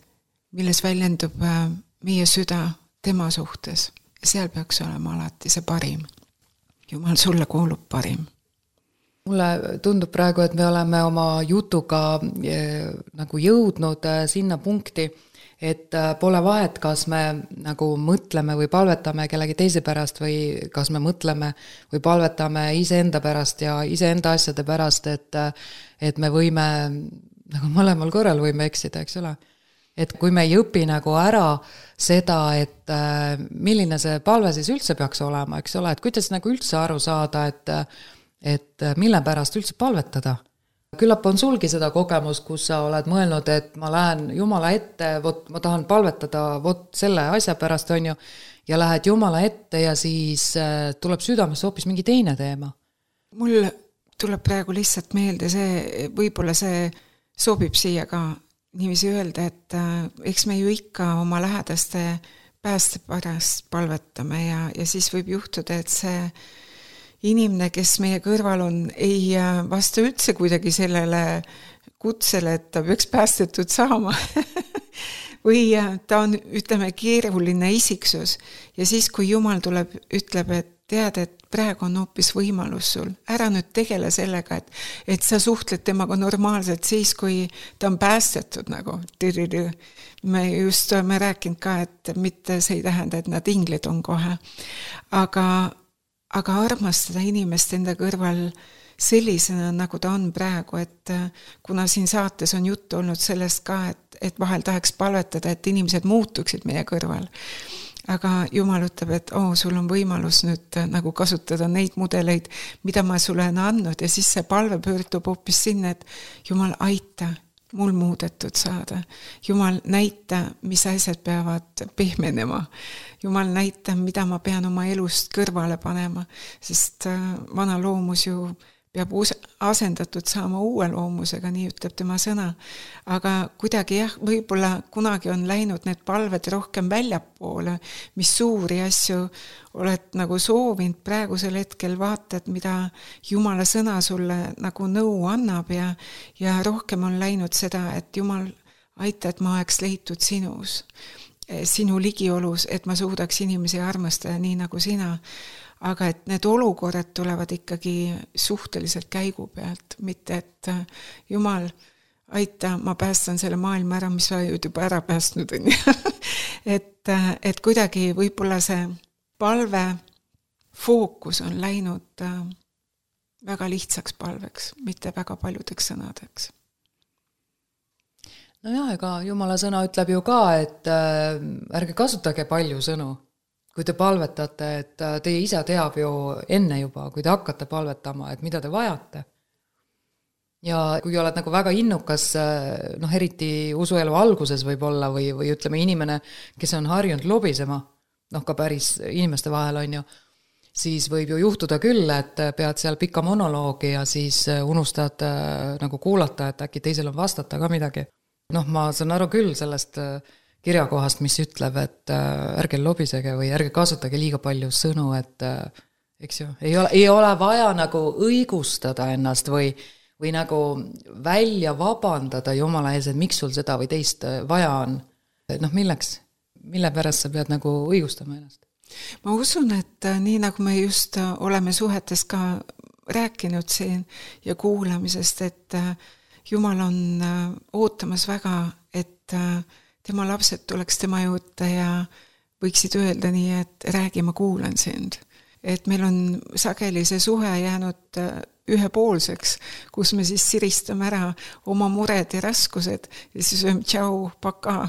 milles väljendub meie süda tema suhtes. Seal peaks olema alati see parim. Jumal, sulle kuulub parim. Mulle tundub praegu, et me oleme oma jutuga nagu jõudnud sinna punkti, et pole vahet, kas me nagu mõtleme või palvetame kellegi teise pärast või kas me mõtleme või palvetame iseenda pärast ja iseenda asjade pärast, et me võime, nagu mõlemal korral võime eksida, eks ole. Et kui me ei õpi nagu ära seda, et milline see palve siis üldse peaks olema, eks ole, et kuidas nagu üldse aru saada, et mille pärast üldse palvetada. Küllap on sulgi seda kogemus, kus sa oled mõelnud, et ma lähen Jumala ette, ma tahan palvetada selle asja pärast, on ju, ja lähed Jumala ette ja siis tuleb südamesse hoopis mingi teine teema. Mul tuleb praegu lihtsalt meelde see, võib-olla see sobib siia ka niiviisi öelda, et eks me ju ikka oma lähedaste pääste pärast palvetame ja siis võib juhtuda, et see inimene, kes meie kõrval on, ei vasta üldse kuidagi sellele kutsele, et ta peaks päästetud saama. Või ta on, ütleme, keeruline isiksus. Ja siis, kui Jumal tuleb, ütleb, et tead, et praegu on hoopis võimalus sul. Ära nüüd tegele sellega, et sa suhtled temaga normaalselt siis, kui ta on päästetud nagu. Me just oleme rääkinud ka, et mitte see ei tähenda, et nad inglid on kohe. Aga armastada inimest enda kõrval sellisena, nagu ta on praegu, et kuna siin saates on juttu olnud sellest ka, et vahel tahaks palvetada, et inimesed muutuksid meie kõrval. Aga Jumal ütleb, et sul on võimalus nüüd nagu kasutada neid mudeleid, mida ma sulle olen andnud ja siis see palve pöördub hoopis sinna, et Jumal aita mul muudetud saada. Jumal näita, mis asjad peavad pehmenema. Jumal näita, mida ma pean oma elust kõrvale panema, sest vana loomus ju peab asendatud saama uue loomusega, nii ütleb tema sõna. Aga kuidagi võib-olla kunagi on läinud need palved rohkem väljapoole, mis suuri asju oled nagu soovinud praegusel hetkel vaatad, mida Jumala sõna sulle nagu nõu annab ja rohkem on läinud seda, et Jumal aita, et ma oleks leitud sinus, sinu ligiolus, et ma suudaks inimesi armastada nii nagu sina. Aga et need olukorrad tulevad ikkagi suhteliselt käigu pealt, mitte et Jumal, aita, ma päästan selle maailma ära, mis sa juba ära päästnud on. et kuidagi võib-olla see palve fookus on läinud väga lihtsaks palveks, mitte väga paljudeks sõnadeks. Nojah, ega Jumala sõna ütleb ju ka, et ärge kasutage palju sõnu. Kui te palvetate, et teie isa teab ju enne juba, kui te hakkate palvetama, et mida te vajate. Ja kui oled nagu väga innukas, eriti usuelu alguses võib olla või ütleme inimene, kes on harjunud lobisema, ka päris inimeste vahel on ju, siis võib ju juhtuda küll, et pead seal pika monoloogi ja siis unustad nagu kuulata, et äkki teisel on vastata ka midagi. Ma saan aru küll sellest kirjakohast, mis ütleb, et ärge lobisege või ärge kasutage liiga palju sõnu, et eks ju, ei ole vaja nagu õigustada ennast või nagu välja vabandada Jumala ees, et miks sul seda või teist vaja on. Milleks? Mille pärast sa pead nagu õigustama ennast? Ma usun, et nii nagu me just oleme suhetes ka rääkinud siin ja kuulamisest, et Jumal on ootamas väga, et tema lapsed tuleks tema juurde ja võiksid öelda nii, et räägi, ma kuulan sind. Et meil on sageli see suhe jäänud ühepoolseks, kus me siis siristame ära oma mured ja raskused ja siis öelme tšau, paka.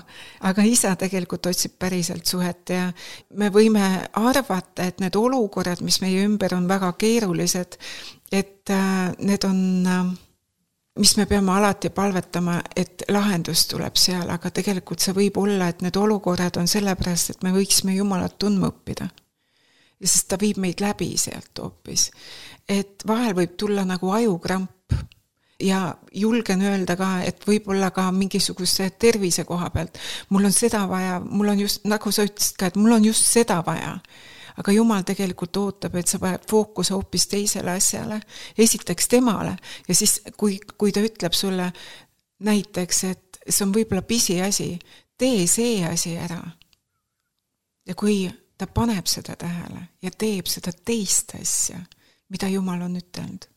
Aga isa tegelikult otsib päriselt suhet ja me võime arvata, et need olukorrad, mis meie ümber on väga keerulised, et need on mis me peame alati palvetama, et lahendus tuleb seal, aga tegelikult see võib olla, et need olukorrad on sellepärast, et me võiksime Jumalat tundma õppida. Ja sest ta viib meid läbi sealt hoopis. Et vahel võib tulla nagu ajukramp ja julgen öelda ka, et võib-olla ka mingisuguse tervise koha pealt. Mul on seda vaja, mul on just, nagu sa ütlesid ka, et mul on just seda vaja. Aga Jumal tegelikult ootab, et sa paned fookuse hoopis teisele asjale. Esiteks temale ja siis, kui ta ütleb sulle näiteks, et see on võib-olla pisiasi, tee see asi ära. Ja kui ta paneb seda tähele ja teeb seda teist asja, mida Jumal on ütelnud,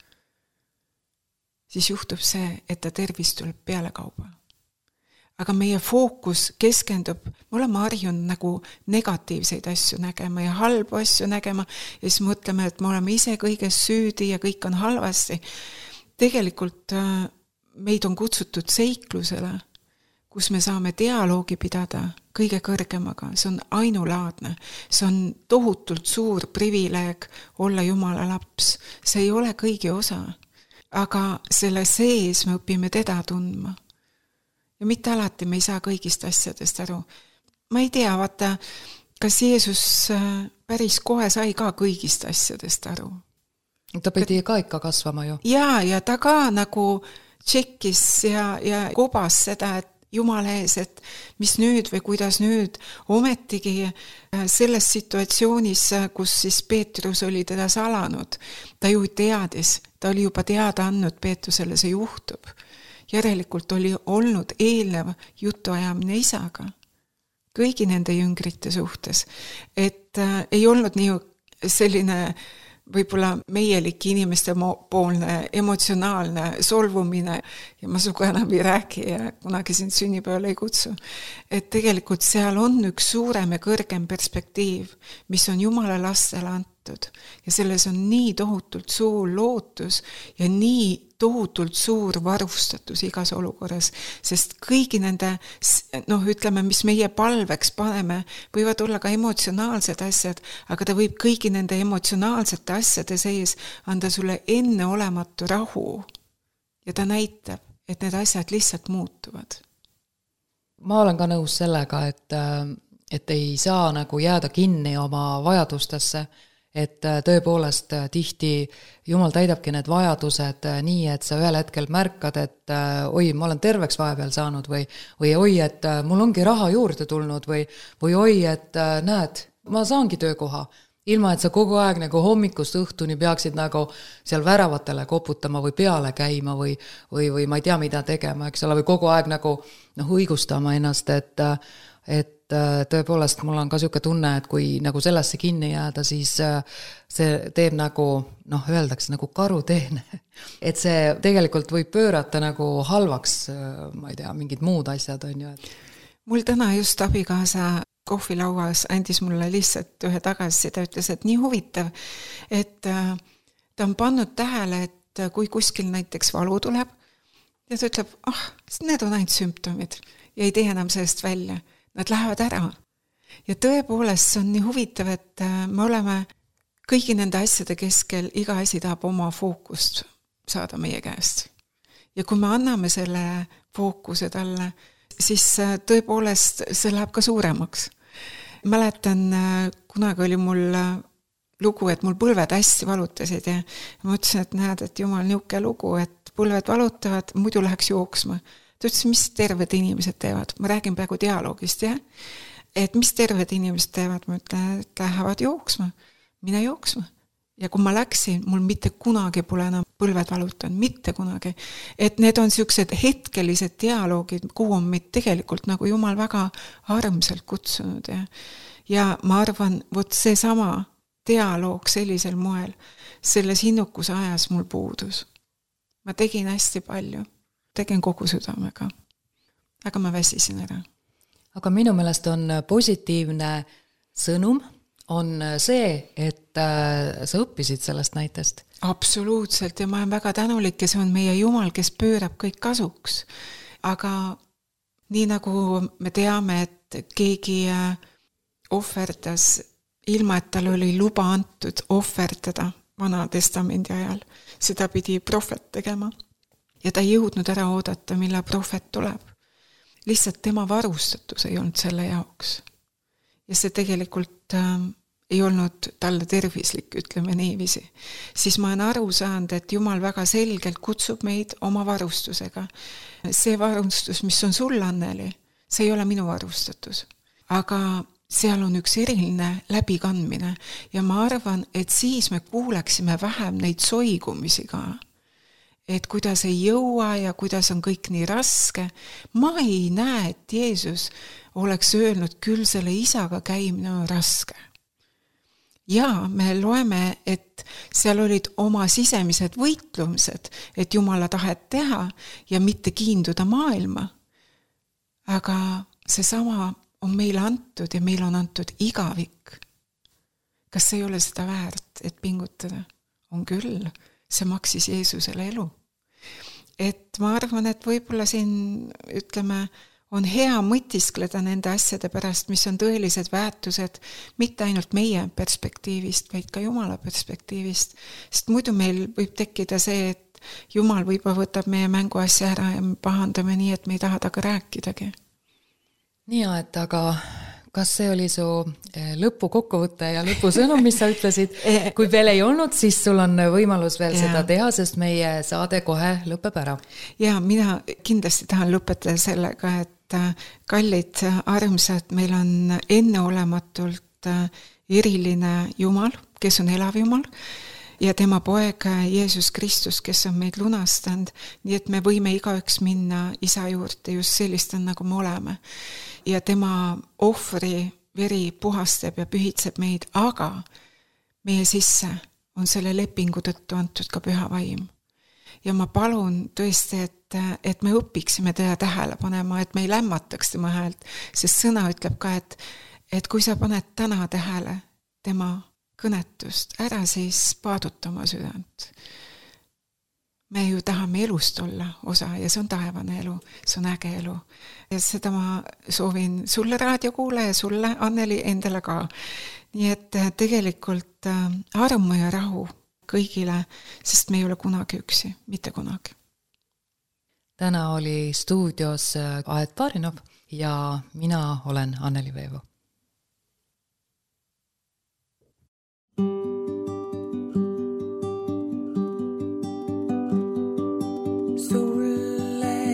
siis juhtub see, et ta tervis tuleb peale kauba. Aga meie fookus keskendub, me oleme harjunud nagu negatiivseid asju nägema ja halbu asju nägema ja siis mõtleme, et me oleme ise kõiges süüdi ja kõik on halvasti. Tegelikult meid on kutsutud seiklusele, kus me saame dialoogi pidada kõige kõrgemaga. See on ainulaadne. See on tohutult suur privileeg olla Jumala laps. See ei ole kõigi osa. Aga selle sees me õpime teda tundma. Ja mitte alati me ei saa kõigist asjadest aru. Ma ei tea, vaata, kas Jeesus päris kohe sai ka kõigist asjadest aru. Ta pidi ka ikka kasvama ju. Ja ta ka nagu tšekkis ja kobas seda, et Jumala ees, et mis nüüd või kuidas nüüd, ometigi selles situatsioonis, kus siis Peetrus oli teda salanud, ta ju teadis, ta oli juba teada andnud Peetrusele, see juhtub. Järelikult oli olnud eelnev jutuajamine isaga kõigi nende jüngrite suhtes, et ei olnud nii selline võib-olla meielik inimeste poolne emotsionaalne solvumine ja ma suga enam ei räägi ja kunagi sind sünnipäeval ei kutsu. Et tegelikult seal on üks suurem ja kõrgem perspektiiv, mis on Jumala lastele antud ja selles on nii tohutult suur lootus ja nii tohutult suur varustatus igas olukorras, sest kõigi nende, ütleme, mis meie palveks paneme, võivad olla ka emotsionaalsed asjad, aga ta võib kõigi nende emotsionaalsete asjade sees anda sulle enneolematu rahu ja ta näitab, et need asjad lihtsalt muutuvad. Ma olen ka nõus sellega, et ei saa nagu jääda kinni oma vajadustesse, et tõepoolest tihti Jumal täidabki need vajadused nii, et sa ühel hetkel märkad, et oi, ma olen terveks vahepeal saanud või oi, et mul ongi raha juurde tulnud või oi, et näed, ma saangi töökoha, ilma et sa kogu aeg nagu hommikust õhtuni peaksid nagu seal väravatele koputama või peale käima või ma ei tea, mida tegema, eks ole, või kogu aeg nagu õigustama ennast, et tõepoolest mul on ka siuke tunne, et kui nagu sellesse kinni jääda, siis see teeb nagu, öeldakse nagu karuteene. Et see tegelikult võib pöörata nagu halvaks, ma ei tea, mingid muud asjad on ju. Mul täna just abikaasa kohvilauas andis mulle lihtsalt ühe tagasi, ta ütles, et nii huvitav, et ta on pannud tähele, et kui kuskil näiteks valu tuleb ja ta ütleb, need on ainult sümptomid ja ei tee enam sellest välja. Nad lähevad ära. Ja tõepoolest see on nii huvitav, et me oleme kõigi nende asjade keskel, iga asi tahab oma fookust saada meie käest. Ja kui me anname selle fookuse talle, siis tõepoolest see läheb ka suuremaks. Mäletan, kunagi oli mul lugu, et mul põlved hästi valutasid ja ma ütlesin, et näed, et Jumal niuke lugu, et põlved valutavad, muidu läheks jooksma. Ta ütles, mis terved inimesed teevad. Ma räägin praegu dialoogist, jah? Et mis terved inimesed teevad, ma ütlen, et lähevad jooksma. Mine jooksma. Ja kui ma läksin, mul mitte kunagi pole enam põlved valutanud, mitte kunagi. Et need on siuksed hetkelised dialoogid, kuhu on meid tegelikult nagu Jumal väga armsalt kutsunud. Ja ma arvan, vot see sama dialoog sellisel moel, selles hinnukuse ajas mul puudus. Ma tegin hästi palju. Tegin kogu südamega. Aga ma väsisin ära. Aga minu meelest on positiivne sõnum on see, et sa õppisid sellest näitest. Absoluutselt ja ma olen väga tänulik ja see on meie Jumal, kes pöörab kõik kasuks. Aga nii nagu me teame, et keegi ohverdas, ilma et tal oli luba antud ohverdada Vana Testamendi ajal, seda pidi prohvet tegema. Ja ta ei jõudnud ära oodata, mille prohvet tuleb. Lihtsalt tema varustatus ei olnud selle jaoks. Ja see tegelikult ei olnud talle tervislik, ütleme niiviisi, siis ma olen aru saanud, et Jumal väga selgelt kutsub meid oma varustusega. See varustus, mis on sul, Anneli, see ei ole minu varustatus. Aga seal on üks eriline läbikandmine ja ma arvan, et siis me kuuleksime vähem neid soigumisi ka. Et kuidas ei jõua ja kuidas on kõik nii raske. Ma ei näe, et Jeesus oleks öelnud, küll selle isaga käimine on raske. Ja me loeme, et seal olid oma sisemised võitlumised, et Jumala tahet teha ja mitte kiinduda maailma. Aga seesama on meile antud ja meil on antud igavik. Kas see ei ole seda väärt, et pingutada? On küll, see maksis Jeesusele elu. Et ma arvan, et võib-olla siin, ütleme, on hea mõtiskleda nende asjade pärast, mis on tõelised väärtused, mitte ainult meie perspektiivist, vaid ka Jumala perspektiivist. Sest muidu meil võib tekkida see, et Jumal võib-olla võtab meie mänguasja ära ja me pahandame nii, et me ei taha taga rääkidagi. Nii, et aga kas see oli su lõpu kokkuvõte ja lõpusõnum, mis sa ütlesid? Kui veel ei olnud, siis sul on võimalus veel seda teha, sest meie saade kohe lõpeb ära. Ja mina kindlasti tahan lõpetada sellega, et kallid armsad, meil on enneolematult eriline Jumal, kes on elav Jumal, ja tema poeg Jeesus Kristus, kes on meid lunastanud, nii et me võime igaüks minna isa juurde just sellist, nagu me oleme. Ja tema ohvri veri puhastab ja pühitseb meid, aga meie sisse on selle lepingu tõttu antud ka püha vaim. Ja ma palun tõesti, et me õpiksime teda tähele panema, et me ei lämmataks tema häält, sest sõna ütleb ka, et kui sa paned täna tähele tema kõnetust, ära siis paaduta oma südant. Me ju tahame elust olla osa ja see on taevane elu, see on äge elu. Ja seda ma soovin sulle raadiokuule ja sulle, Anneli, endale ka. Nii et tegelikult armu ja rahu kõigile, sest me ei ole kunagi üksi, mitte kunagi. Täna oli stuudios Aet Barinov ja mina olen Anneli Veevo.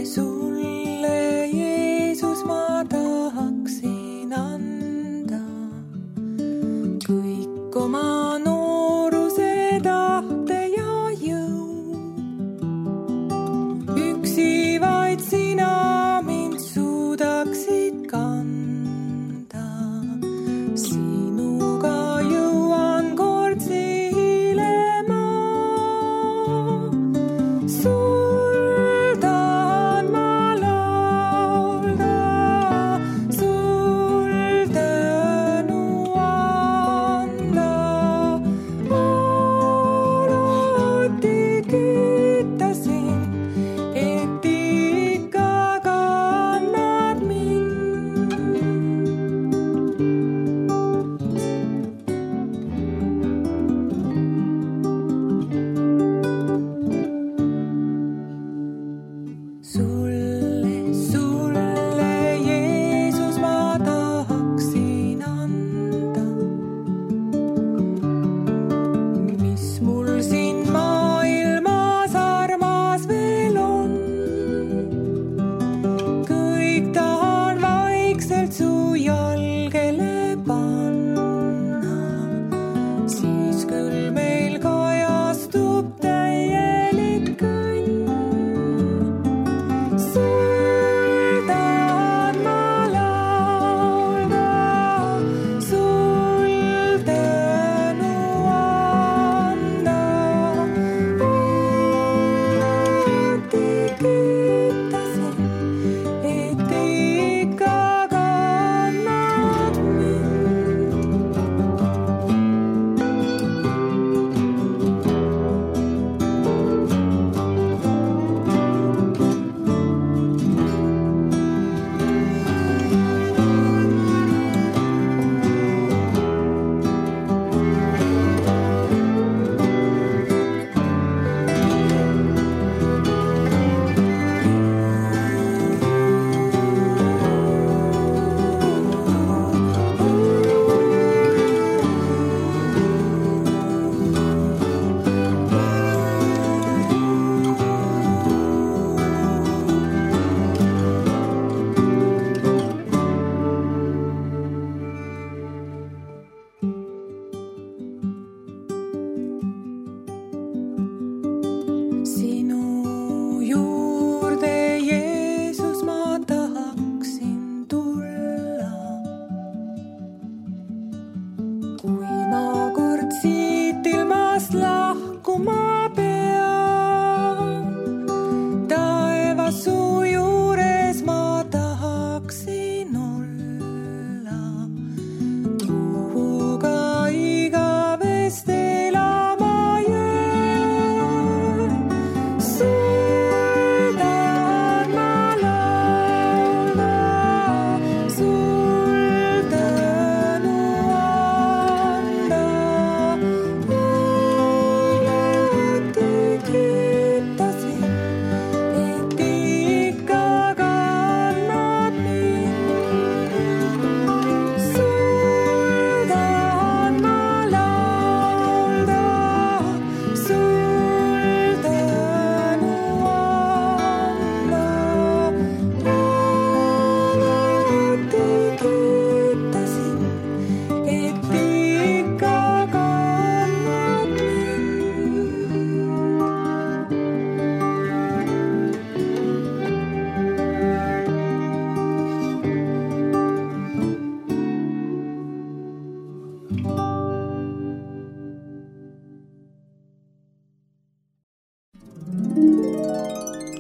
Sulle, Jeesus, ma tahaksin anda kõik oma nooruse tahte ja jõu. Üksi vaid sina mind suudaksid kanda.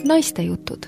Naistejutud